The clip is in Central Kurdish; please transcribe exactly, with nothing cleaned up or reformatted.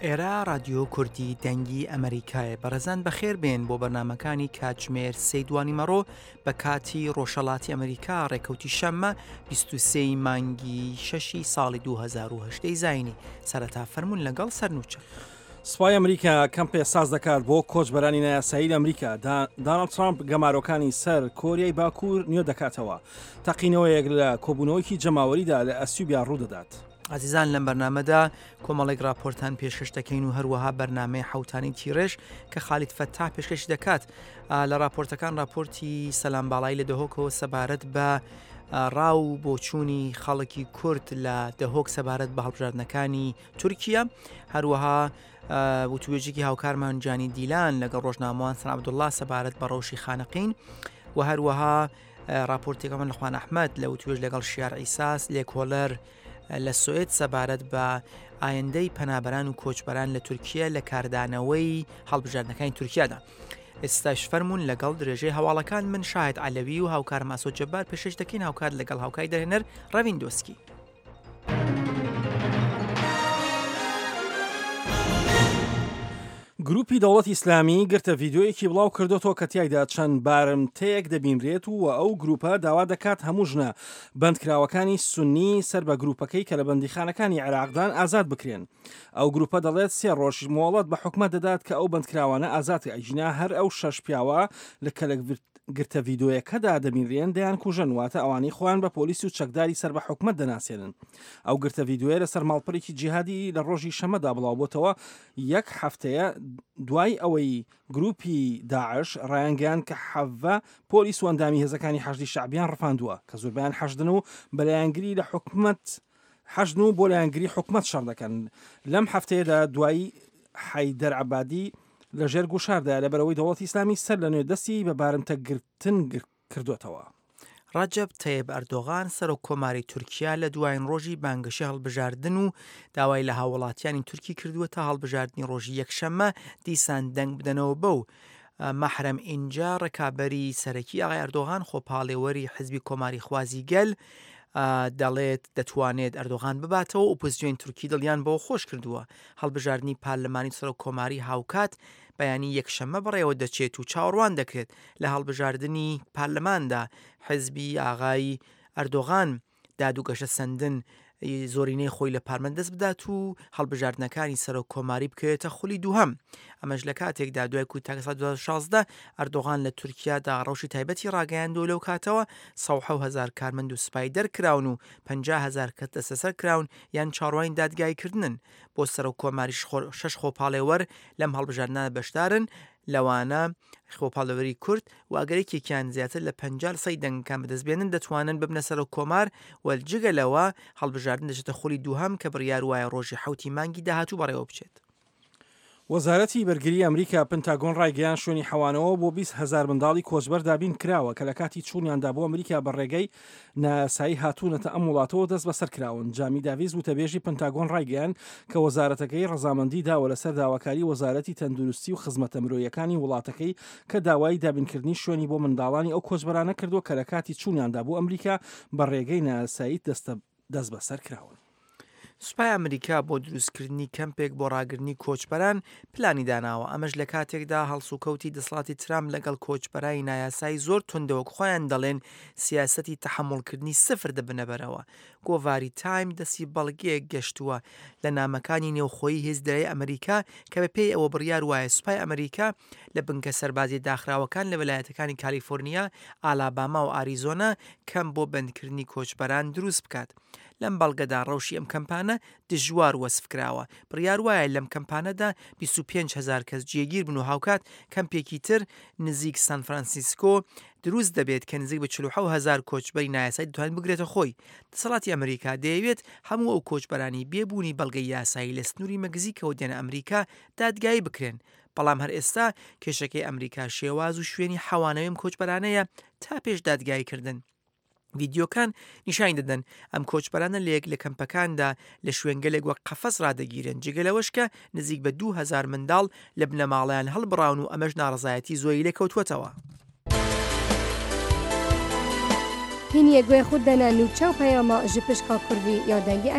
ئێرە ڕادیۆ کوردی دەنگی ئەمریکایە. بەڕێزان بەخێر بێن بۆ بەرنمەکانی کاتژمێر سێ دوانیمەڕۆ بە کاتی ڕۆژهەڵاتی ئەمریکا، ڕێکەوتی شەممە بیست و سێ مانگی شەشی ساڵی دوو هەزار و هەژدە زایینی. سەرەتا فەرمونون لەگەڵ سەرنوچە. سوپای ئەمریکا کەمپێ ساز دەکات بۆ کۆچبەرانی نایاسایی لە ئەمریکا. داناڵد ترامپ گەمارۆکانی سەر کۆریای باکوور نوێ دەکاتەوە. تەقینەوەیەک لە کۆبوونەوەیەکی جەماوەریدا لە ئەسیوبیا ڕوودەدات. عزیزان لەم بەرنامەدا کۆمەڵێک راپۆرتان پێشکەش دەکەین و هەروەها بەرنامەی حوتانی تیڕێژ کە خالید فەتاح پێشکەش دەکات. لە راپۆرتەکان راپۆرتی سەلام باڵایی لە دهۆکەوە سەبارەت بە ڕاو و بۆچوونی خەڵکی کورد لە دهۆک سەبارەت بە هەڵبژاردنەکانی تورکیا. هەروەها وتوێژێکی هاوکارمان جانی دیلان لەگەڵ ڕۆژنامەوان سەن عەبدوڵڵا سەبارەت بە ڕەوشی خانەقین و هەروەها راپۆرتێکەمان لە خوان ئەحمەد لە وتوێژ لەگەڵ شیار ئیساس لێکۆلەر لە سوئد سەبارەت بە ئایندەی پەنابەران و کۆچبەران لە تورکیا لە کاردانەوەی هەڵبژاردنەکانی تورکیادا. ئێستاش فەرمونون لەگەڵ درێژەی هەواڵەکان من شاهد عەلەوی و هاوکار ماسۆ جەبار پێشکەش دەکەین، هاوکات لەگەڵ هاوکاری دەرهێنەر ڕەوین دۆسکی. گروپی دەوڵەتی ئیسلامی گرتە ڤیدیۆیەکی بڵاو کردوتەوە کە تیایدا چەند بارمتەیەک دەبینرێت و ئەو گروپە داوا دەکات هەموو ژنە بەندکراوەکانی سوننی سەر بە گروپەکەی کە لە بەندیخانەکانی عێراقدان ئازاد بکرێن. ئەو گروپە دەڵێت سێ ڕۆژ مۆڵەت بە حکومەت دەدات کە ئەو بەندکراوانە ئازاد ئەژینا هەر ئەو شەش پیاوە لە کە لە گرتە ڤیدیۆیەکەدا دەبینرێن دەیان کوژن، واتە ئەوانەی خۆیان بە پۆلیس و چەکداری سەر بە حکومەت دەناسێنن. ئەو گرتە ڤیدیۆیە لەسەر ماڵپەڕێکی جیهادی لە ڕۆژی شەمەدا بڵاوبۆتەوە یەک هەفتەیە دوای ئەوەی گروپی داعش ڕایانگەیان کە حەڤە پۆلیس و ئەندامی هێزەکانی حەشدی شەعبیان ڕفاندووە کە زۆربیان حەشدن و بەلایەنگری لە حکومەت حەشدن و بۆ لایەنگری حکومەت شەڕ دەکەن. لەم هەفتەیەدا دوای حەیدەر عەبادی لەژێر گوشاردایە لەبەرەوەی دەوڵەتی ئیسلامی سەر لە نوێ دەستی بە بارمتەگرتن کردوێتەوە. ڕەجەب تەیب ئەردۆغان سەرۆک کۆماری تورکیا لە دوایین ڕۆژی بانگەشەی هەڵبژاردن و داوای لە هاوڵاتیانی تورکی کردووە تا هەڵبژاردنی ڕۆژی یەکشەممە دیسان دەنگ بدەنەوە بەو. مەحرەم ئینجا ڕکابەری سەرەکی ئاغای ئەردۆغان خۆپاڵێوەری حزبی کۆماری خوازی گەل دەڵێت دەتوانێت ئەردۆغان بباتەوە. ئۆپۆزیسیۆن تورکی دڵیان بەوە خۆش کردووە. هەڵبژاردنی پەرلەمانی سەرۆک کۆماری هاوکات بەیانی یەکشەممە بەڕێوە دەچێت و چاوەڕوان دەکرێت لە هەڵبژاردنی پەرلەماندا حزبی ئاغای ئەردۆغان داد و گەشە سەندن زۆرینەی خۆی لە پارمەند دەست بدات و هەڵبژاردنەکانی سەرۆک کۆماری بکەوێتە خولی دووهەم. ئەمەش لە کاتێکدا دوای کودەتاکە ساڵی دوو هەزار و شازدە ئەردۆغان لە تورکیادا ڕەوشی تایبەتی ڕاگەیاندووە. لەو کاتەوە سەد و حەوت هەزار کارمەند و سوپای دەرکراون و پەنجا هەزار کەس دەستەسەر کراون یان چاوەڕوانی دادگاییکردنن. بۆ سەرۆک کۆماری شەش خۆپاڵێوەر لەم هەڵبژاردنە بەشدارن، لەوانە خۆپاڵێوەری کورد و ئەگەر یەکێکیان زیاتر لە پەنجا سەی دەنگەکان بەدەست بێنن دەتوانن ببنە سەرۆک کۆمار. وەلجگە لەوە هەڵبژاردن دەچێتە خولی دووهەم کە بڕیار وایە ڕۆژی حەوتی مانگی داهاتوو بەڕێوە بچێت. وەزارەتی بەرگری ئەمریکا پنتاگۆن ڕایگەیان شوێنی حەوانەوە بۆ بیست هەزار منداڵی کۆچبەر دابین کراوە کە لە کاتی چوونیاندا بۆ ئەمریکا بە ڕێگەی نایاسایی هاتوونەتە ئەم وڵاتەوە دەست بەسەر کراون. جامی داڤیز وتەبێژی پنتاگۆن ڕایگەیان کە وەزارەتەکەی ڕەزامەندی داوە لەسەر داواکاری وەزارەتی تەندروستی و خزمەتە مرۆیەکانی وڵاتەکەی کە داوای دابینکردنی شوێنی بۆ منداڵانی ئەو کۆچبەرانە کردووە کە لە کاتی چوونیاندا بۆ ئەمریکا بە ڕێگەی نایاسایی دەست بەسەر کراون. سوپای ئەمریکا بۆ دروستکردنی کەمپێک بۆ ڕاگرنی کۆچبەران پلانی داناوە. ئەمەش لە کاتێکدا هەڵسوکەوتی دەسەڵاتی ترامپ لەگەڵ کۆچبەرانی نایاسایی زۆر توندەوە خۆیان دەڵێن سیاسەتی تەحەموڵکردنی سفر دەبنەبەرەوە. گۆڤاری تایم دەستی بەڵگەیەک گەشتووە لە نامەکانی نێوخۆیی هێزدرای ئەمریکا کە بەپێی ئەوە بڕیار وایە سوپای ئەمریکا لە بنکە سەربازی داخراوەکان لە ویلایەتەکانی کالیفۆرنیا، ئالاباما و ئاریزۆنا کەم بۆ بەندکردنی کۆچبەران دروست بکات. لەم بەڵگەدا ڕەوشی ئەم کەمپانە دژوار وەسف کراوە. بڕیار وایە لەم کەمپانەدا بیست و پێنج هەزار کەس جێگیر بن و هاوکات کەمپێکی تر نزیک سان فرانسیسکۆ دروست دەبێت کە نزیک بە چل و حەوت هەزار کۆچبەری نایاسایی دەتوانێت بگرێتە خۆی. دەسەڵاتی ئەمریکا دەیەوێت هەموو ئەو کۆچبەرانی بێبوونی بەڵگەی یاسایی لە سنووری مەکزیکەوە دێنە ئەمریکا دادگایی بکرێن. بەڵام هەر ئێستا کێشەکەی ئەمریکا شێواز و شوێنی حەوانەوەی ئەم کۆچبەرانەیە تا پێش دادگاییکردن. ڤیدیۆکان نیشانی دەدەن ئەم کۆچبەرانە لە یەک لە کەمپەکاندا لە شوێنگەلێک وەک قەفەز ڕادەگیرن، جگە لەوەش کە نزیک بە دوو هەزار منداڵ لە بنەماڵەیان هەڵبڕاون و ئەمەش ناڕەزایەتی زۆری لێکەوتووەتەوە. هینیە گوێ خود دەنە نوچە و پەیامە ji pişka Kurdî ya Dengê Amerîka.